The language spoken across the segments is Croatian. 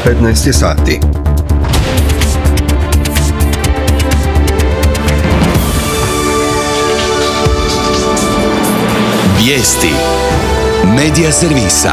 15 sati. Vijesti Medija servisa.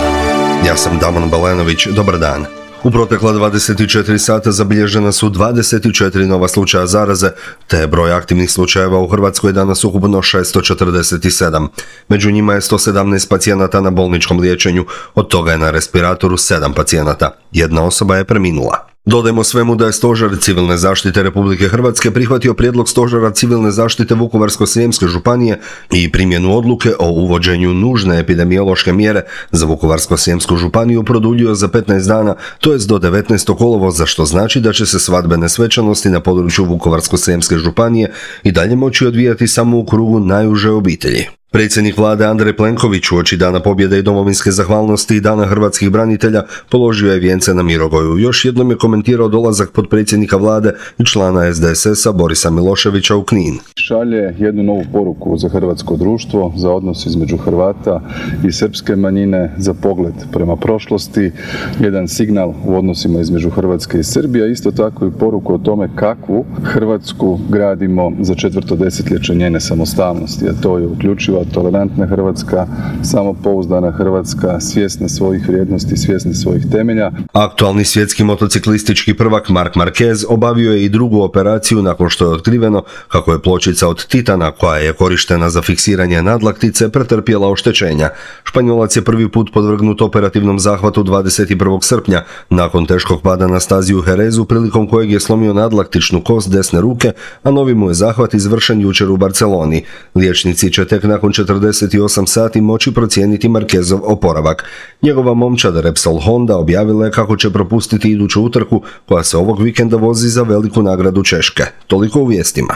Ja sam Damon Balenović, dobar dan. U protekla 24 sata zabilježena su 24 nova slučaja zaraze, te broj aktivnih slučajeva u Hrvatskoj je danas ukupno 647. Među njima je 117 pacijenata na bolničkom liječenju, od toga je na respiratoru 7 pacijenata. Jedna osoba je preminula. Dodajmo svemu da je Stožer civilne zaštite Republike Hrvatske prihvatio prijedlog Stožera civilne zaštite Vukovarsko-srijemske županije i primjenu odluke o uvođenju nužne epidemiološke mjere za Vukovarsko-srijemsku županiju produljio za 15 dana, to jest do 19. kolovoza, što znači da će se svadbene svečanosti na području Vukovarsko-srijemske županije i dalje moći odvijati samo u krugu najuže obitelji. Predsjednik vlade Andrej Plenković uoči Dana pobjede i domovinske zahvalnosti i Dana hrvatskih branitelja položio je vijence na Mirogoju. Još jednom je komentirao dolazak potpredsjednika vlade i člana SDSS-a Borisa Miloševića u Knin. Šalje jednu novu poruku za hrvatsko društvo, za odnos između Hrvata i srpske manjine, za pogled prema prošlosti, jedan signal u odnosima između Hrvatske i Srbije, a isto tako i poruku o tome kakvu Hrvatsku gradimo za 4. desetljeće njene samostalnosti, a to je uključivo tolerantna Hrvatska, samopouzdana Hrvatska, svjesna svojih vrijednosti, svjesna svojih temelja. Aktualni svjetski motociklistički prvak Marc Marquez obavio je i drugu operaciju nakon što je otkriveno kako je pločica od titana koja je korištena za fiksiranje nadlaktice pretrpjela oštećenja. Španjolac je prvi put podvrgnut operativnom zahvatu 21. srpnja nakon teškog pada na stazi u Jerezu, prilikom kojeg je slomio nadlaktičnu kost desne ruke, a novi mu je zahvat izvršen jučer u Barceloni. Liječnici će tek nakon 48 sati moći procijeniti Marquezov oporavak. Njegova momčad Repsol Honda objavila je kako će propustiti iduću utrku koja se ovog vikenda vozi za veliku nagradu Češke. Toliko u vijestima.